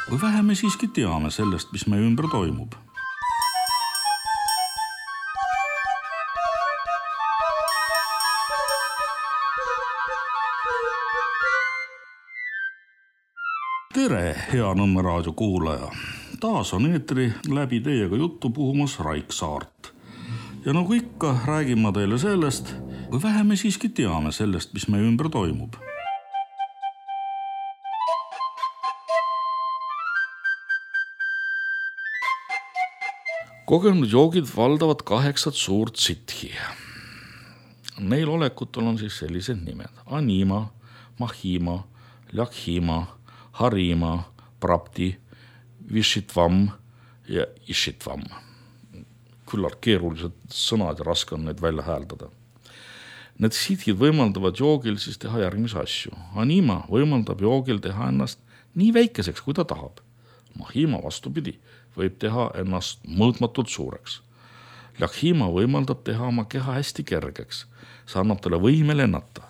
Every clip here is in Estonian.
Või vähe me siiski teame sellest, mis meie ümber toimub. Tere, hea Nõmme raadio kuulaja! Taas on eetri läbi teiega juttu puhumas Raik Saart. Ja nagu ikka, räägin ma teile sellest, või vähe me siiski teame sellest, mis meie ümber toimub. Kogenud joogid valdavad 8 suurt sithi. Neil olekutel on siis sellised nimed. Anima, Mahima, Lakhima, Harima, Prapti, Vishitvam ja Ishitvam. Küllalt keerulised sõnad ja raske on neid välja hääldada. Need sithid võimaldavad joogil siis teha järgmisi asju. Anima võimaldab joogil teha ennast nii väikeseks, kui ta tahab. Mahima vastupidi võib teha ennast mõõtmatult suureks. Lakhima võimaldab teha oma keha hästi kergeks. See annab talle võime lennata.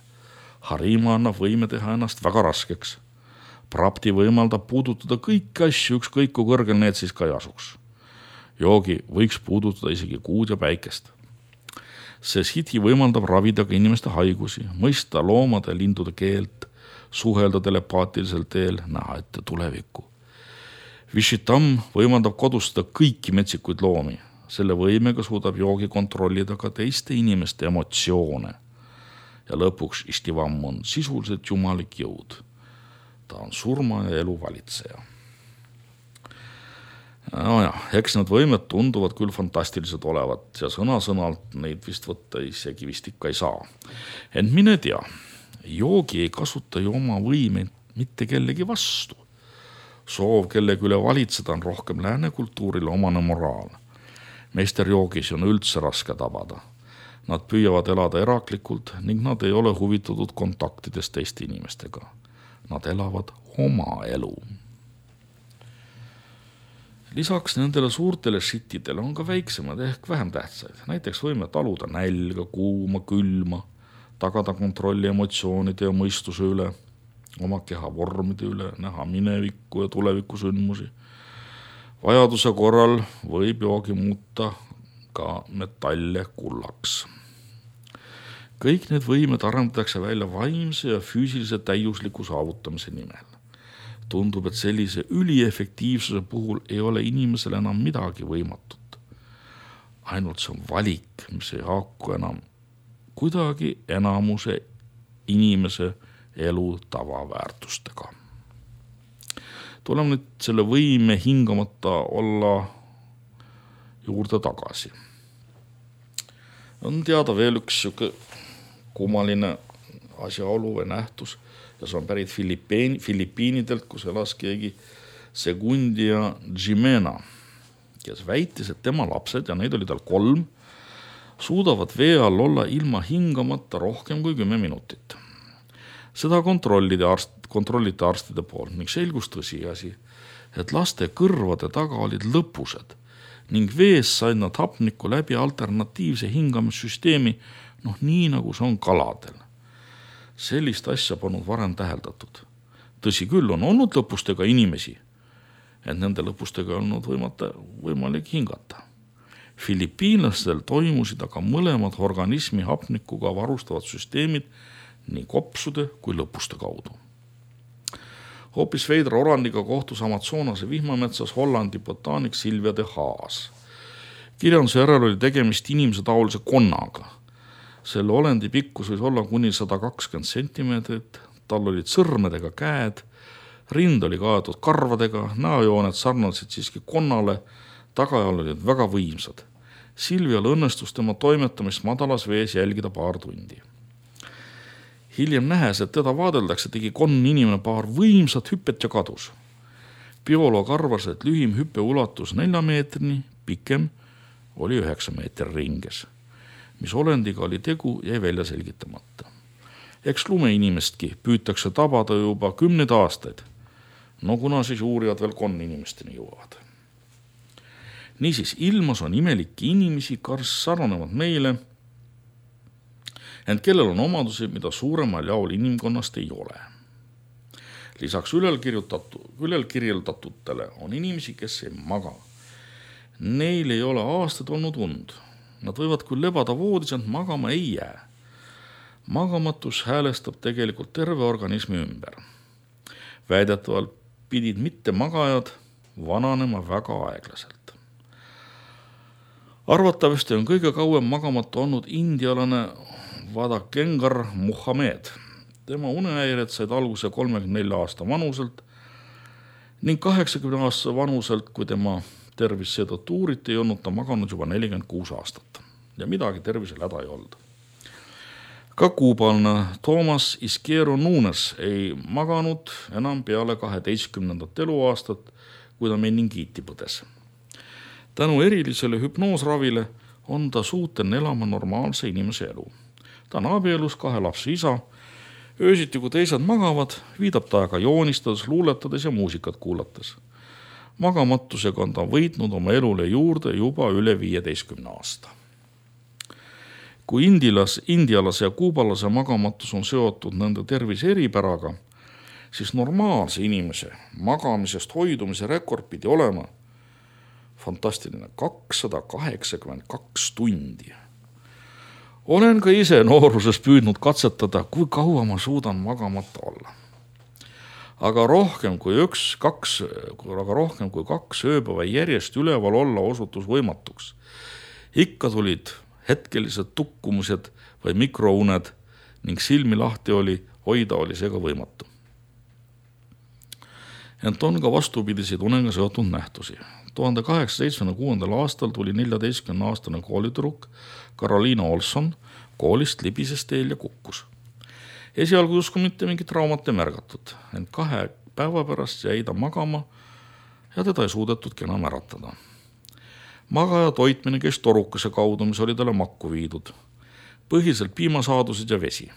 Harima annab võime teha ennast väga raskeks. Prapti võimaldab puudutada kõiki asju, ükskõik kui kõrgel need siis ka ei asuks. Joogi võiks puudutada isegi kuud ja päikest. See sithi võimaldab ravida ka inimeste haigusi, mõista loomade ja lindude keelt, suhelda telepaatilisel teel, näha ette tulevikku. Vishitam võimaldab kodustada kõiki metsikuid loomi. Selle võimega suudab joogi kontrollida ka teiste inimeste emotsioone. Ja lõpuks Ishtivam on sisuliselt jumalik jõud. Ta on surma ja elu valitseja. Eks need võimed tunduvad küll fantastilised olevat ja sõna-sõnalt neid vist võtta isegi vist ikka ei saa. Ent mine tea, joogi ei kasuta ju oma võimeid mitte kellegi vastu. Soov kellegi üle valitseda on rohkem lääne kultuurile omane moraal. Meisterjoogis on üldse raske tabada. Nad püüavad elada eraklikult ning nad ei ole huvitatud kontaktidest teiste inimestega. Nad elavad oma elu. Lisaks nendele suurtele sittidele on ka väiksemad ehk vähem tähtsaid. Näiteks võime taluda nälga, kuuma, külma, tagada kontrolli emotsioonide ja mõistuse üle, oma keha vormide üle, näha minevikku ja tuleviku sündmusi. Vajaduse korral võib joogi muuta ka metalle kullaks. Kõik need võimed arendatakse välja vaimse ja füüsilise täiusliku saavutamise nimel. Tundub, et sellise üliefektiivsuse puhul ei ole inimesel enam midagi võimatut. Ainult see on valik, mis ei haaku enam kuidagi enamuse inimese elu tavaväärtustega. Tuleme nüüd selle võime hingamata olla juurde tagasi. On teada veel üks kummaline asjaolu või nähtus ja see on pärit Filipiinidelt, kus elas keegi Segundia Jimena, kes väitis, et tema lapsed, ja neid oli tal 3, suudavad vee all olla ilma hingamata rohkem kui 10 minutit. Seda kontrolliti arstide poolt ning selgus tõsiasi, et laste kõrvade taga olid lõpused ning vees said nad hapnikku läbi alternatiivse hingamissüsteemi, nii nagu see on kaladel. Sellist asja polnud varem täheldatud. Tõsi küll, on olnud lõpustega inimesi, et nende lõpustega ei olnud võimalik hingata. Filipiinlastel toimusid aga mõlemad organismi hapnikuga varustavad süsteemid nii kopsude kui lõpuste kaudu. Hoopis veidra orandiga kohtus Amazonase vihmametsas Hollandi botaanik Silvia de Haas. Kirjanduse järel oli tegemist inimese taolise konnaga. Selle olendi pikkus võis olla kuni 120 sentimeetrit, tal olid sõrmedega käed, rind oli kaetud karvadega, näojooned sarnasid siiski konnale, tagajal olid väga võimsad. Silvial õnnestus tema toimetamist madalas vees jälgida paar tundi. Hiljem nähes, et teda vaadeldakse, tegi konn inimene paar võimsat hüppet ja kadus. Bioloog arvas, et lühim hüppe ulatus 4 meetrini, pikem oli 9 meetri ringes. Mis olendiga oli tegu, jäi välja selgitamata. Eks lumeinimestki püütakse tabada juba 10 aastaid. Kuna siis uurijad veel konninimesteni jõuavad. Niisiis, ilmas on imelikke inimesi, kes sarnanevad meile, ent kellel on omadusi, mida suuremal jaol inimkonnast ei ole. Lisaks küljel kirjeldatutele on inimesi, kes ei maga. Neil ei ole aastaid olnud und. Nad võivad küll lebada voodis, ent magama ei jää. Magamatus häälestab tegelikult terve organismi ümber. Väidetavalt pidid mitte magajad vananema väga aeglaselt. Arvatavasti on kõige kauem magamatu olnud indialane Vadakengar Muhamed. Tema unehäired said alguse 34 aasta vanuselt ning 80 aasta vanuselt, kui tema tervis seetõttu uuriti, ei olnud ta maganud juba 46 aastat ja midagi tervisel häda ei olnud. Ka kuubalne Thomas Isqueiro Nunes ei maganud enam peale 12. eluaastat, kui ta meningiiti põdes. Tänu erilisele hüpnoosravile on ta suuteline elama normaalse inimese elu. Ta on abielus 2 lapse isa. Öösiti, kui teised magavad, viidab ta aga joonistades, luuletades ja muusikat kuulates. Magamatusega on ta võitnud oma elule juurde juba üle 15 aasta. Kui indialase ja kuubalase magamatus on seotud nende tervise eripäraga, siis normaalse inimese magamisest hoidumise rekord pidi olema fantastiline 282 tundi. Olen ka ise nooruses püüdnud katsetada, kui kaua ma suudan magamata olla. Aga rohkem kui 2 ööpäeva järjest üleval olla osutus võimatuks. Ikka tulid hetkelised tukkumused või mikrouned ning silmi lahti hoida oli seega võimatu. Ent on ka vastupidiseid unega seotud nähtusi. 1876. aastal tuli 14-aastane koolitüdruk Carolina Olson koolist libises teel ja kukkus. Esialgu justkui mitte mingit traumat ei märgatud, ent 2 päeva pärast jäi ta magama ja teda ei suudetudki enam äratada. Magaja toitmine käis torukese kaudu, mis oli talle makku viidud. Põhiliselt piimasaadused ja vesi.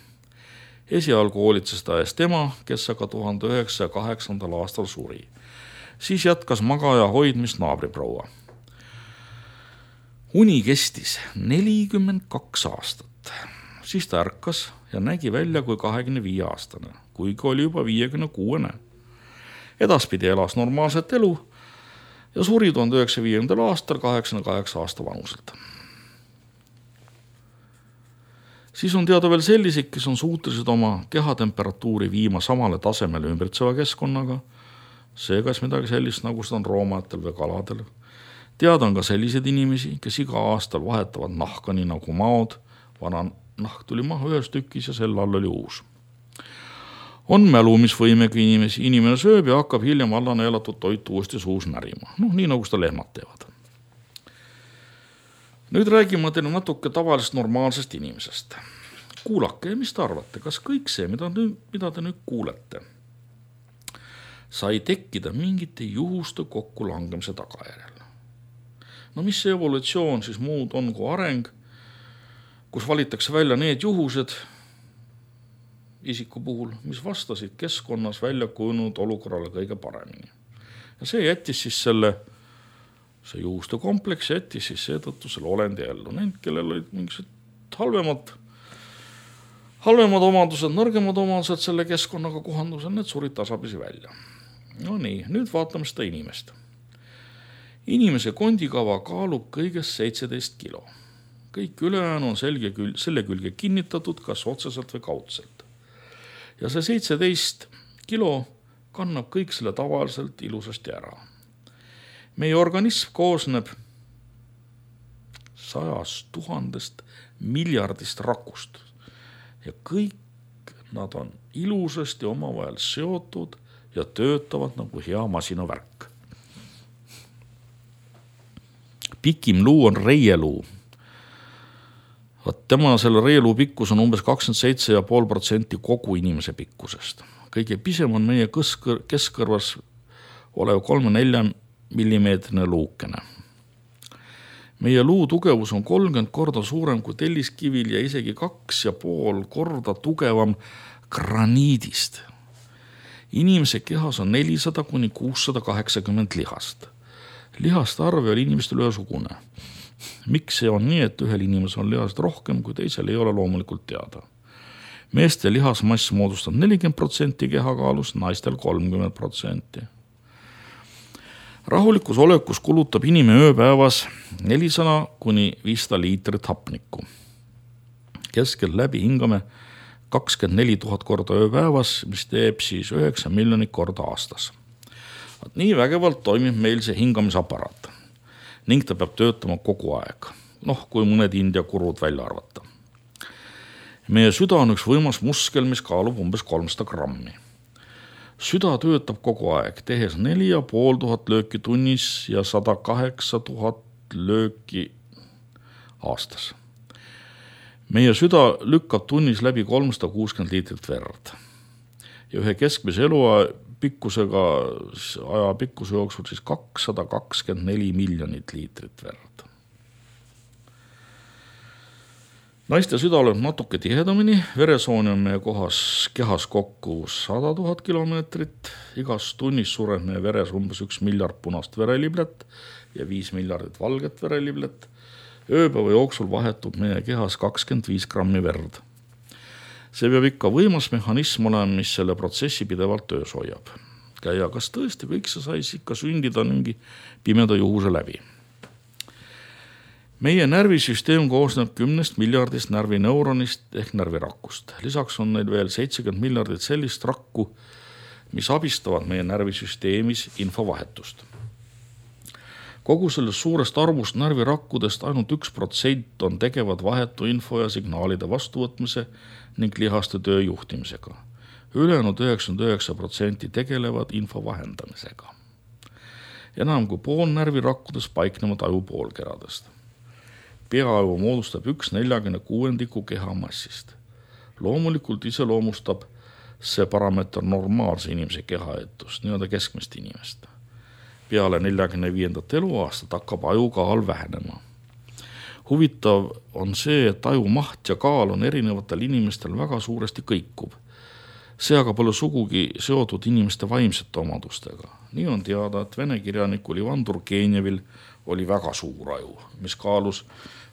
Esialgu hoolitses ta ees tema, kes aga 1908. aastal suri. Siis jätkas magaja hoidmist naabriproua. Uni kestis 42 aastat. Siis ta ärkas ja nägi välja kui 25-aastane, kuigi oli juba 56. Edaspidi elas normaalset elu ja suri 1905. aastal 88 aasta vanuselt. Siis on teada veel sellised, kes on suutelised oma kehatemperatuuri viima samale tasemele ümbritseva keskkonnaga, seegas midagi sellist, nagu seda on roomajatel või kaladel. Teada on ka selliseid inimesi, kes iga aastal vahetavad nahka, nii nagu maod. Vana nahk tuli maha ühes tükis ja selle all oli uus. On mälumisvõimega inimesi. Inimene sööb ja hakkab hiljem allane elatud toit uuesti suus närima. Nii nagu seda lehmad teevad. Nüüd räägime teile natuke tavalisest normaalsest inimesest. Kuulake, mis te arvate, kas kõik see, mida te nüüd kuulete, sai tekkida mingite juhuste kokkulangemise tagajärjel. No mis see evolutsioon siis muud on kui areng, kus valitakse välja need juhused isiku puhul, mis vastasid keskkonnas välja kujunenud olukorrale kõige paremini. Ja see jättis siis see juhuste kompleks jättis siis seetõttu selle olendi ellu. Need, kellel olid mingisugused halvemad omadused, nõrgemad omadused selle keskkonnaga kohandusel, need surid tasapisi välja. No nii, nüüd vaatame seda inimest. Inimese kondikava kaalub kõigest 17 kilo. Kõik ülejäänu on selle külge kinnitatud, kas otseselt või kaudselt. Ja see 17 kilo kannab kõik selle tavaliselt ilusasti ära. Meie organism koosneb 100 000 miljardist rakust ja kõik nad on ilusasti omavahel seotud ja töötavad nagu hea masinavärk. Pikim luu on reieluu. Tema selle reieluu pikkus on umbes 27,5% kogu inimese pikkusest. Kõige pisem on meie keskkõrvas olev 3-4 millimeetrine luukene. Meie luu tugevus on 30 korda suurem kui telliskivil ja isegi 2,5 korda tugevam graniidist. Inimese kehas on 400-680 lihast. Lihaste arv ei ole inimestel ühesugune. Miks see on nii, et ühel inimesel on lihast rohkem, kui teisel ei ole loomulikult teada. Meeste lihasmass moodustab 40% kehakaalust, naistel 30%. Rahulikus olekus kulutab inimene ööpäevas 400 kuni 500 liitrit hapnikku. Keskel läbi hingame 24 000 korda ööpäevas, mis teeb siis 9 miljonit korda aastas. Nii vägevalt toimib meil see hingamisaparaat ning ta peab töötama kogu aeg. Kui mõned India kurud välja arvata. Meie süda on üks võimas muskel, mis kaalub umbes 300 grammi. Süda töötab kogu aeg, tehes 4500 lööki tunnis ja 108 000 lööki aastas. Meie süda lükkab tunnis läbi 360 liitrit verd. Ja ühe keskmise eluaja pikkuse jooksul siis 224 miljonit liitrit verd. Naiste süda lööb natuke tihedamini, veresooni on meie kehas kokku 100 000 kilomeetrit, igas tunnis sureb meie veres umbes 1 miljard punast vereliblet ja 5 miljardit valget vereliblet. Ööpäeva jooksul vahetub meie kehas 25 grammi verd. See peab ikka võimas mehhanism olema, mis selle protsessi pidevalt töös hoiab. Ja kas tõesti kõik see sais ikka sündida mingi pimeda juhuse läbi? Meie närvisüsteem koosneb 10 miljardist närvineuronist ehk närvirakust. Lisaks on neil veel 70 miljardit sellist rakku, mis abistavad meie närvisüsteemis infovahetust. Kogu sellest suurest arvust närvirakkudest ainult 1% on tegevad vahetu info ja signaalide vastuvõtmise ning lihaste töö juhtimisega. Ülejäänud 99% tegelevad info vahendamisega. Enam kui pool närvirakkudest paiknevad ajupoolkeradest. Peaaju moodustab 1/46 keha massist. Loomulikult iseloomustab see parameeter normaalse inimese kehaetust, nii-öelda keskmist inimest. Peale 45. eluaastat hakkab aju kaal vähenema. Huvitav on see, et aju maht ja kaal on erinevatel inimestel väga suuresti kõikuv. See aga pole sugugi seotud inimeste vaimsete omadustega. Nii on teada, et vene kirjanikul Ivan Turgenevil oli väga suur aju, mis kaalus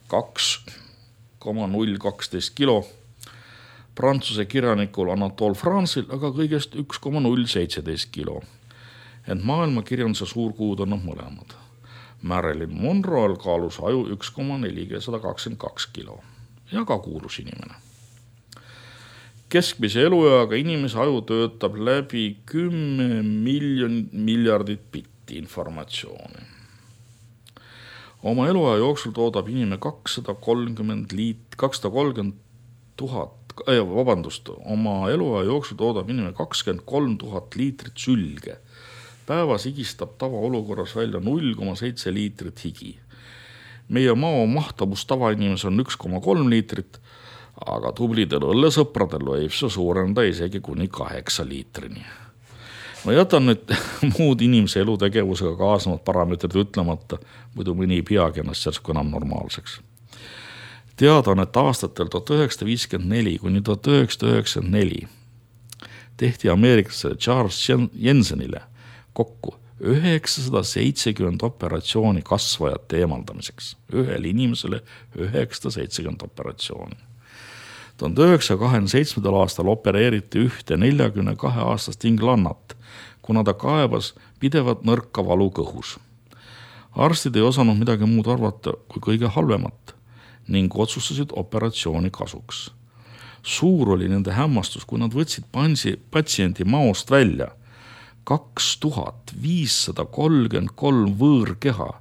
2,012 kilo. Prantsuse kirjanikul Anatole France'il aga kõigest 1,017 kilo. Ent maailmakirjanduse suurkuud on mõlemad. Marilyn Monroe'l kaalus aju 1,422 kilo ja ka kuulus inimene. Keskmise elueaga inimese aju töötab läbi 10 miljardit bitti informatsiooni. Oma eluaja jooksul toodab inimene 230 000, oma eluaja jooksul toodab inimene 23 000 liitrit sülge. Päevas higistab tavaolukorras välja 0,7 liitrit higi. Meie mao mahtavus tavainimesel on 1,3 liitrit, aga tublidel õllesõpradel võib see suurenda isegi kuni 8 liitrini. Ma jätan nüüd muud inimese elutegevusega kaasnevad parameetrid ütlemata, muidu mõni ei peagi ennast järsku enam normaalseks. Teada on, et aastatel 1954 kuni 1994 tehti ameeriklasele Charles Jensenile kokku 970 operatsiooni kasvajate eemaldamiseks. Ühele inimesele 970 operatsiooni. 1927. aastal opereeriti ühte 42-aastast inglannat, kuna ta kaebas pidevat nõrka valu kõhus. Arstid ei osanud midagi muud arvata kui kõige halvemat ning otsustasid operatsiooni kasuks. Suur oli nende hämmastus, kui nad võtsid patsiendi maost välja 2533 võõrkeha,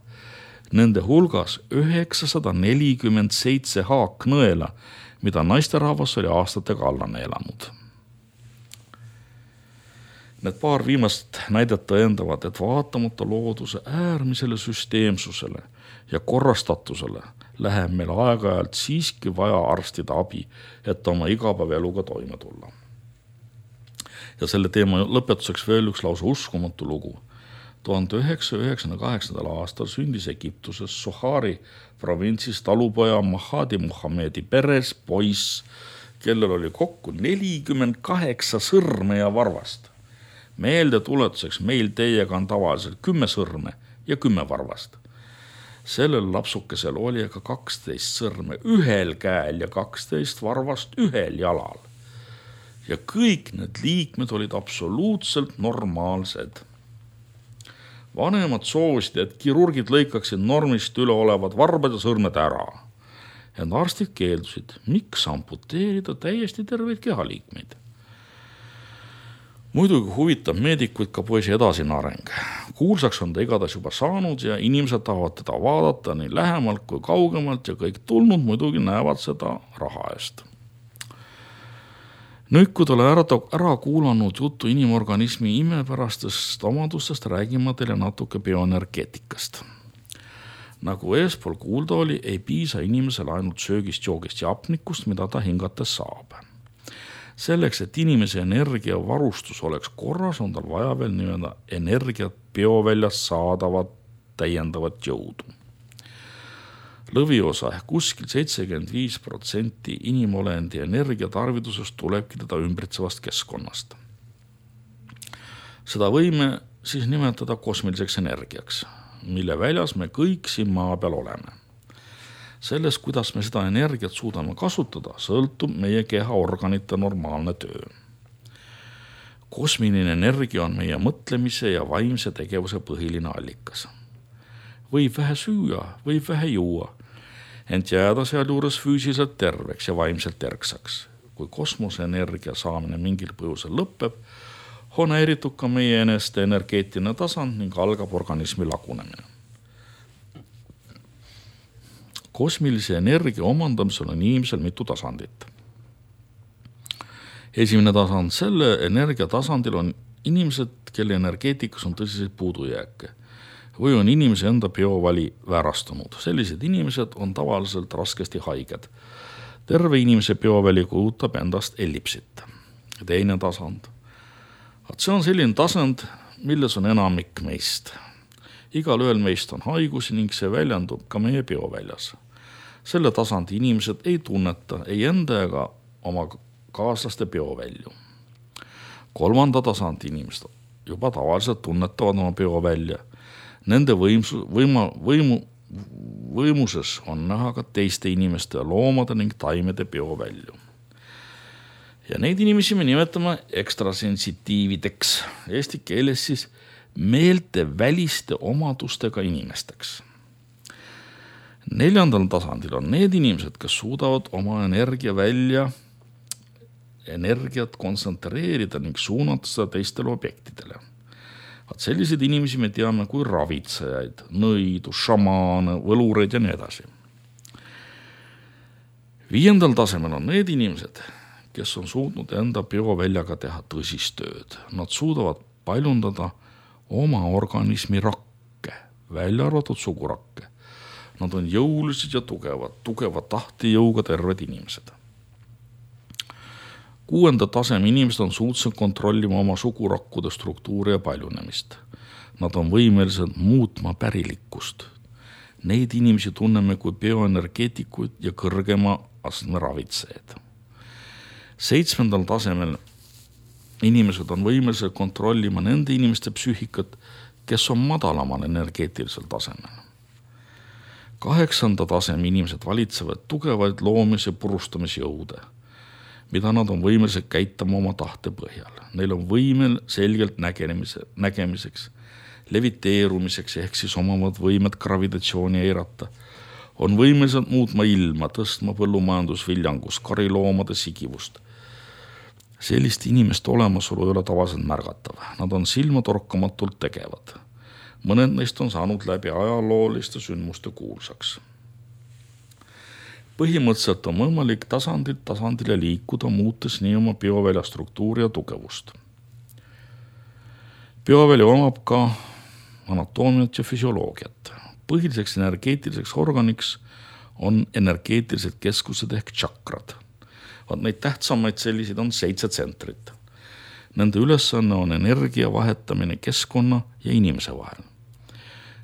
nende hulgas 947 haaknõela, mida naisterahvas oli aastatega alla neelanud. Need paar viimast näidet tõendavad, et vaatamata looduse äärmisele süsteemsusele ja korrastatusele läheb meil aeg-ajalt siiski vaja arstide abi, et oma igapäevaeluga toime tulla. Ja selle teema lõpetuseks veel üks lausa uskumatu lugu. 1998. aastal sündis Egiptuses Sohari provintsis talupoja Mahadi Muhamedi peres poiss, kellel oli kokku 48 sõrme ja varvast. Meelde tuletuseks meil teiega on tavaliselt 10 sõrme ja 10 varvast. Sellel lapsukesel oli aga 12 sõrme ühel käel ja 12 varvast ühel jalal. Ja kõik need liikmed olid absoluutselt normaalsed. Vanemad soovisid, et kirurgid lõikaksid normist üle olevad varbad ja sõrmed ära. Ent arstid keeldusid, miks amputeerida täiesti terveid kehaliikmeid. Muidugi huvitab meedikuid ka poisi edasine areng. Kuulsaks on ta igatahes juba saanud ja inimesed tahavad teda vaadata nii lähemalt kui kaugemalt ja kõik tulnud muidugi näevad seda raha eest. Nüüd, kui ta ära kuulanud juttu inimorganismi imepärastest omadustest, räägime teile natuke bioenergeetikast. Nagu eespool kuulda oli, ei piisa inimesel ainult söögist, joogist ja hapnikust, mida ta hingates saab. Selleks, et inimese energiavarustus oleks korras, on tal vaja veel nii-öelda energiat bioväljast saadavat täiendavat jõudu. Lõviosa ehk kuskil 75% inimolendi energiatarvidusest tulebki teda ümbritsevast keskkonnast. Seda võime siis nimetada kosmiliseks energiaks, mille väljas me kõik siin maa peal oleme. Sellest, kuidas me seda energiat suudame kasutada, sõltub meie kehaorganite normaalne töö. Kosmiline energia on meie mõtlemise ja vaimse tegevuse põhiline allikas. Võib vähe süüa, võib vähe juua, ent jääda seal juures füüsiliselt terveks ja vaimselt erksaks. Kui kosmoseenergia saamine mingil põhjusel lõpeb, on häiritud ka meie eneste energeetiline tasand ning algab organismi lagunemine. Kosmilise energia omandamisel on inimesel mitu tasandit. Esimene tasand, selle energia tasandil on inimesed, kelle energeetikas on tõsiseid puudujääke või on inimese enda biovali väärastunud. Sellised inimesed on tavaliselt raskesti haiged. Terve inimese bioväli kujutab endast ellipsit. Teine tasand. See on selline tasand, milles on enamik meist. Igal ühel meist on haigusi ning see väljendub ka meie bioväljas. Selle tasandi inimesed ei tunneta ei enda ega oma kaaslaste biovälju. Kolmanda tasandi inimesed juba tavaliselt tunnetavad oma biovälja. Nende võimuses on näha ka teiste inimeste, loomade ning taimede biovälju. Ja neid inimesi me nimetame ekstrasensitiivideks, eesti keeles siis meelte väliste omadustega inimesteks. Neljandal tasandil on need inimesed, kes suudavad oma energiat kontsentreerida ning suunata seda teistele objektidele. Selliseid inimesi me teame kui ravitsejaid, nõidu, šamaane, võlureid ja nii edasi. Viiendal tasemel on need inimesed, kes on suutnud enda bioväljaga teha tõsist tööd. Nad suudavad paljundada oma organismi rakke, välja arvatud sugurakke. Nad on jõulised ja tugeva tahtejõuga terved inimesed. Kuuenda taseme inimesed on suutsed kontrollima oma sugurakkude struktuuri ja paljunemist. Nad on võimelised muutma pärilikkust. Neid inimesi tunneme kui bioenergeetikuid ja kõrgema astme ravitseed. 7. tasemel inimesed on võimelised kontrollima nende inimeste psüühikat, kes on madalamal energeetilisel tasemel. 8. taseme inimesed valitsevad tugevaid loomis- ja purustamisjõude, mida nad on võimelised käitama oma tahte põhjal. Neil on võimel selgelt nägemiseks, leviteerumiseks ehk siis omavad võimet gravitatsiooni eirata. On võimelised muutma ilma, tõstma põllumajandusviljangust, kariloomade sigivust. Sellist inimeste olemasolu ei ole tavaliselt märgatav. Nad on silmatorkamatult tegevad. Mõned neist on saanud läbi ajalooliste sündmuste kuulsaks. Põhimõtteliselt on võimalik tasandilt tasandile liikuda, muutes nii oma biovälja struktuuri ja tugevust. Bioväli omab ka anatoomiat ja füsioloogiat. Põhiliseks energeetiliseks organiks on energeetilised keskused ehk tšakrad. Neid tähtsamaid selliseid on 7 tsentrit. Nende ülesanne on energia vahetamine keskkonna ja inimese vahel.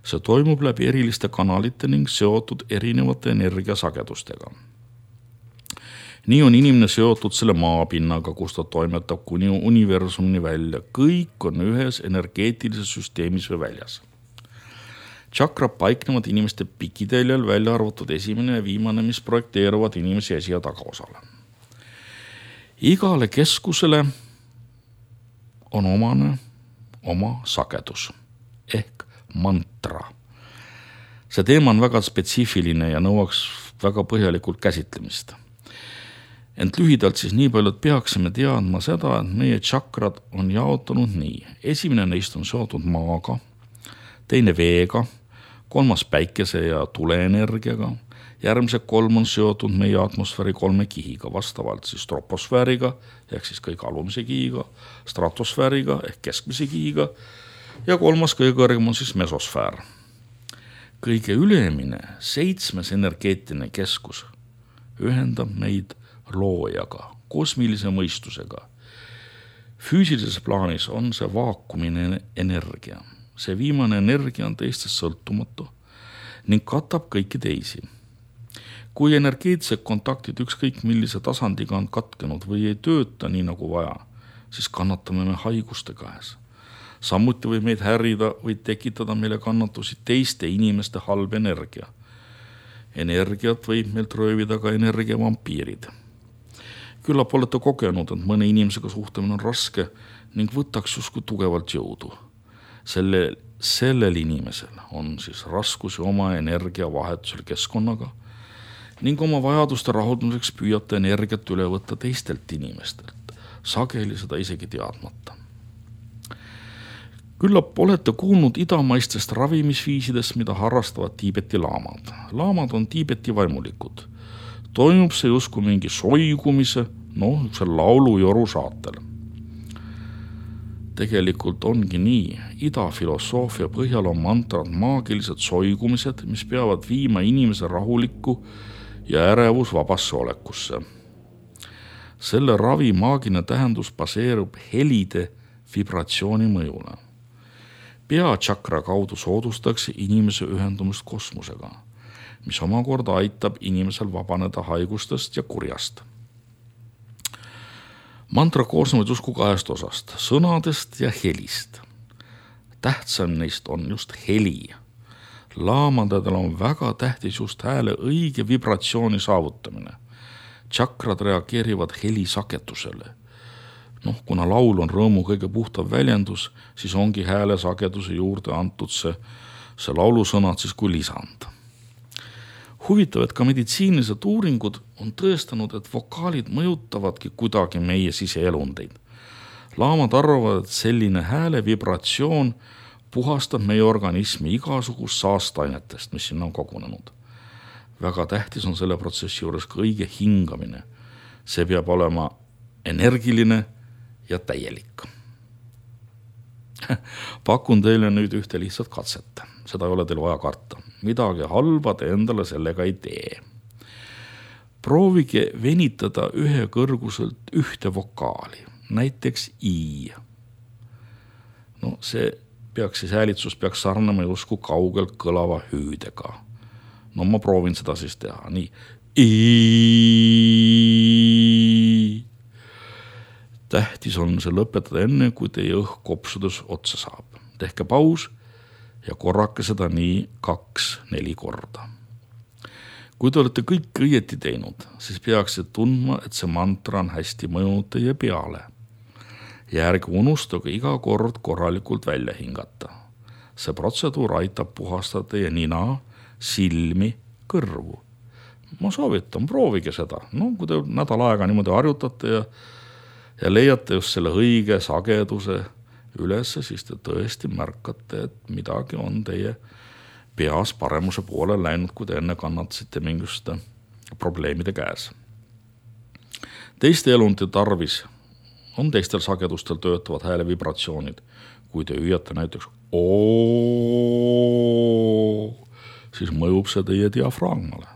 See toimub läbi eriliste kanalite ning seotud erinevate energiasagedustega. Nii on inimene seotud selle maapinnaga, kus ta toimetab kuni universumini välja. Kõik on ühes energeetilises süsteemis või väljas. Tšakrad paiknevad inimeste pikiteljel, välja arvatud esimene ja viimane, mis projekteeruvad inimese esi- ja tagaosale. Igale keskusele on omane oma sagedus ehk mantra. See teema on väga spetsiifiline ja nõuaks väga põhjalikult käsitlemist. Ent lühidalt siis nii palju, et peaksime teadma seda, et meie tšakrad on jaotunud nii. Esimene neist on seotud maaga, teine veega, kolmas päikese ja tuleenergiaga, järgmised 3 on seotud meie atmosfääri 3 kihiga, vastavalt siis troposfääriga ehk siis kõige alumise kihiga, stratosfääriga ehk keskmise kihiga ja 3. kõige kõrgem on siis mesosfäär. Kõige ülemine 7. energeetiline keskus ühendab meid loojaga, kosmilise mõistusega. Füüsilises plaanis on see vaakumine energia. See viimane energia on teistest sõltumatu ning katab kõiki teisi. Kui energeetsed kontaktid ükskõik millise tasandiga on katkenud või ei tööta nii nagu vaja, siis kannatame me haiguste käes. Samuti võib meid härida või tekitada meile kannatusi teiste inimeste halb energia. Energiat võib meilt röövida ka energiavampiirid. Küllap olete kogenud, et mõne inimesega suhtlemine on raske ning võtaks justkui tugevalt jõudu. Sellel inimesel on siis raskusi oma energiavahetusel keskkonnaga ning oma vajaduste rahuldamiseks püüate energiat üle võtta teistelt inimestelt, sageli seda isegi teadmata. Küllap olete kuulnud idamaistest ravimisviisidest, mida harrastavad Tiibeti laamad. Laamad on Tiibeti vaimulikud. Toimub see justkui mingi soigumise, see laulujoru saatel. Tegelikult ongi nii, idafilosoofia põhjal on mantrad maagilised soigumised, mis peavad viima inimese rahulikku ja ärevusvabasse olekusse. Selle ravi maagiline tähendus baseerub helide vibratsiooni mõjule. Peatšakra kaudu soodustakse inimese ühendumist kosmosega, mis omakorda aitab inimesel vabaneda haigustest ja kurjast. Mantra koosnevad justkui 2 osast, sõnadest ja helist. Tähtsam neist on just heli. Laamadel on väga tähtis just hääle õige vibratsiooni saavutamine. Tšakrad reageerivad heli sagedusele. Kuna laul on rõõmu kõige puhtav väljendus, siis ongi hääle sageduse juurde antud see laulusõnad siis kui lisand. Huvitav, et ka meditsiinilised uuringud on tõestanud, et vokaalid mõjutavadki kuidagi meie siseelundeid. Laamad arvavad, et selline hääle vibratsioon puhastab meie organismi igasugust saastainetest, mis sinna on kogunenud. Väga tähtis on selle protsessi juures ka õige hingamine. See peab olema energiline ja täielik. Pakun teile nüüd ühte lihtsat katset. Seda ei ole teil vaja karta. Midagi halba te endale sellega ei tee. Proovige venitada ühe kõrguselt ühte vokaali, näiteks I. See häälitsus peaks sarnama justkui kaugelt kõlava hüüdega. Ma proovin seda siis teha. Nii. I. Tähtis on see lõpetada enne, kui teie õhk kopsudes otsa saab. Tehke paus ja korrake seda nii 2-4 korda. Kui te olete kõik õieti teinud, siis peaksite tundma, et see mantra on hästi mõjunud teie peale. Ja ärge unustage iga kord korralikult välja hingata. See protseduur aitab puhastada teie nina, silmi, kõrvu. Ma soovitan, proovige seda. Kui te nädal aega niimoodi harjutate ja leiate just selle õige sageduse üles, siis te tõesti märkate, et midagi on teie peas paremuse poole läinud, kui te enne kannatasite mingisuguste probleemide käes. Teiste elundite tarvis on teistel sagedustel töötavad hääle vibratsioonid. Kui te hüüate näiteks oo, siis mõjub see teie diafragmale.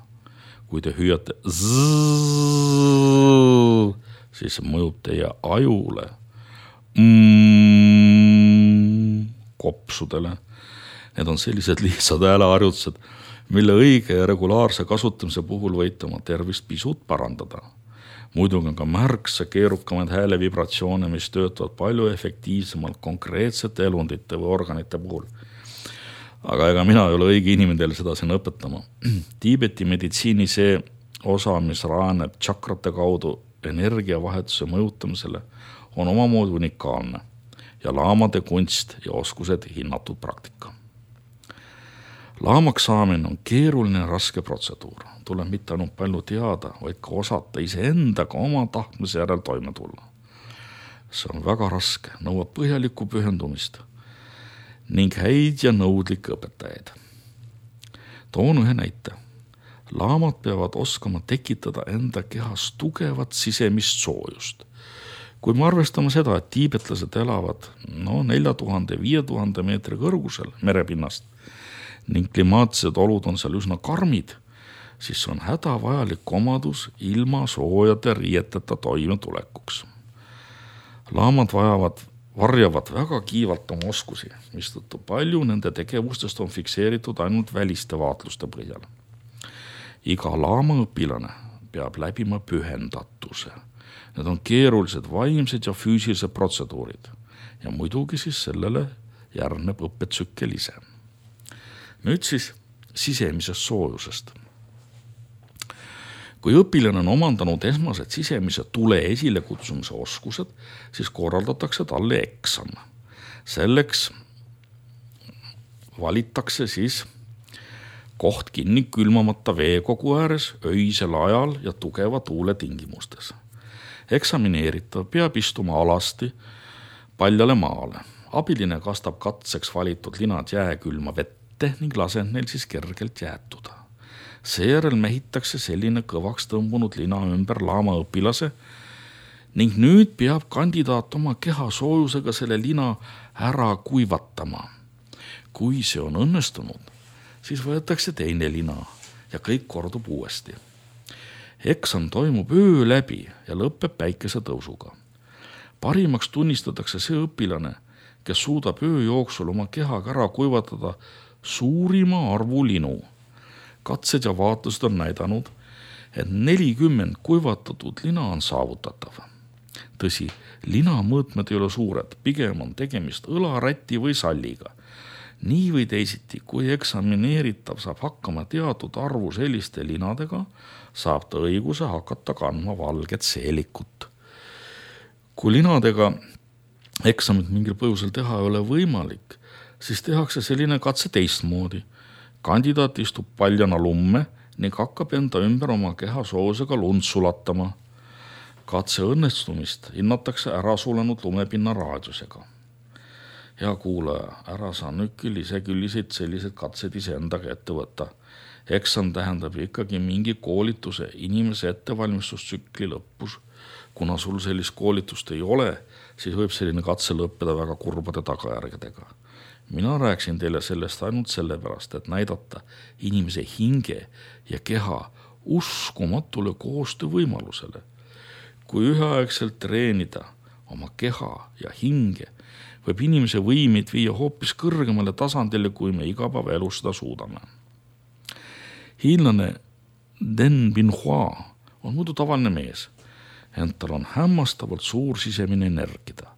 Kui te hüüate zzz, siis mõjub teie ajule, kopsudele. Need on sellised lihtsad hääleharjutused, mille õige ja regulaarse kasutamise puhul võite oma tervist pisut parandada. Muidugi on ka märksa keerukamaid hääle vibratsioone, mis töötavad palju efektiivsemalt konkreetsete elundite või organite puhul. Aga ega mina ei ole õige inimene teile seda siin õpetama. Tiibeti meditsiini see osa, mis rajaneb tšakrate kaudu energiavahetuse mõjutamisele, on omamoodi unikaalne ja laamade kunst ja oskused hinnatud praktika. Laamaks saamine on keeruline ja raske protseduur. Tuleb mitte ainult palju teada, vaid ka osata iseendaga oma tahtmise järel toime tulla. See on väga raske, nõuab põhjalikku pühendumist ning häid ja nõudlikke õpetajaid. Toon ühe näite. Laamad peavad oskama tekitada enda kehas tugevat sisemist soojust. Kui me arvestame seda, et tiibetlased elavad 4000–5000 meetri kõrgusel merepinnast ning klimaatilised olud on seal üsna karmid, siis on hädavajalik omadus ilma soojade riieteta toimetulekuks. Laamad varjavad väga kiivalt oma oskusi, mistõttu palju nende tegevustest on fikseeritud ainult väliste vaatluste põhjal. Iga laamaõpilane peab läbima pühendatuse. Need on keerulised vaimsed ja füüsilised protseduurid ja muidugi siis sellele järgneb õppetsükkel ise. Nüüd siis sisemisest soojusest. Kui õpilane on omandanud esmased sisemise tule esile kutsumise oskused, siis korraldatakse talle eksam. Selleks valitakse siis koht kinni külmamata veekogu ääres öisel ajal ja tugeva tuule tingimustes. Eksamineeritav peab istuma alasti paljale maale. Abiline kastab katseks valitud linad jääkülma vette ning laseb neil siis kergelt jäätuda. Seejärel mehitakse selline kõvaks tõmbunud lina ümber laamaõpilase ning nüüd peab kandidaat oma keha soojusega selle lina ära kuivatama. Kui see on õnnestunud, siis võetakse teine lina ja kõik kordub uuesti. Eksam toimub öö läbi ja lõpeb päikesetõusuga. Parimaks tunnistatakse see õpilane, kes suudab öö jooksul oma kehaga ära kuivatada suurima arvu linu. Katsed ja vaatlused on näidanud, et 40 kuivatatud lina on saavutatav. Tõsi, lina mõõtmed ei ole suured, pigem on tegemist õlaräti või salliga. Nii või teisiti, kui eksamineeritav saab hakkama teatud arvu selliste linadega, saab ta õiguse hakata kandma valget seelikut. Kui linadega eksamit mingil põhjusel teha ei ole võimalik, siis tehakse selline katse teistmoodi. Kandidaat istub paljana lumme ning hakkab enda ümber oma keha soojusega lund sulatama. Katse õnnestumist hinnatakse ära sulenud lumepinna raadiusega. Hea kuulaja, ära saa nüüd küll isekülliseid sellised katsed iseendaga ette võtta. Eksam tähendab ikkagi mingi koolituse inimese ettevalmistustsükli lõpus. Kuna sul sellist koolitust ei ole, siis võib selline katse lõppeda väga kurbade tagajärgedega. Mina rääksin teile sellest ainult sellepärast, et näidata inimese hinge ja keha uskumatule koostöövõimalusele. Kui üheaegselt treenida oma keha ja hinge, võib inimese võimeid viia hoopis kõrgemale tasandile, kui me igapäevaelus seda suudame. Hiinlane Den Binhua on muidu tavaline mees, ent tal on hämmastavalt suur sisemine energida.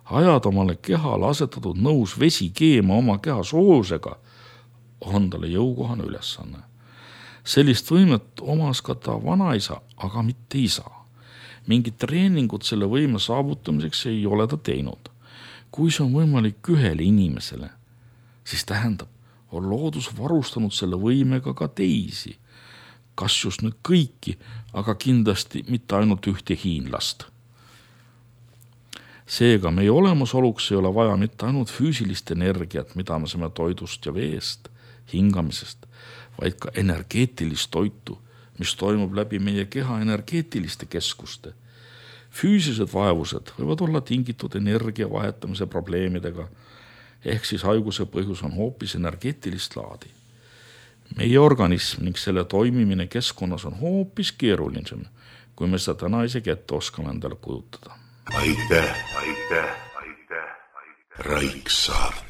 Ajad omale kehale asetatud nõus vesi keema oma keha soojusega on talle jõukohane ülesanne. Sellist võimet omas ka ta vanaisa, aga mitte isa. Mingit treeningut selle võime saavutamiseks ei ole ta teinud. Kui see on võimalik ühele inimesele, siis tähendab, on loodus varustanud selle võimega ka teisi. Kas just nüüd kõiki, aga kindlasti mitte ainult ühte hiinlast. Seega meie olemasoluks ei ole vaja mitte ainult füüsilist energiat, mida me saame toidust ja veest, hingamisest, vaid ka energeetilist toitu, mis toimub läbi meie keha energeetiliste keskuste. Füüsilised vaevused võivad olla tingitud energia vahetamise probleemidega, ehk siis haiguse põhjus on hoopis energeetilist laadi. Meie organism ning selle toimimine keskkonnas on hoopis keerulisem, kui me seda täna isegi ette oskame endale kujutada. Aitäh. Raiksaart.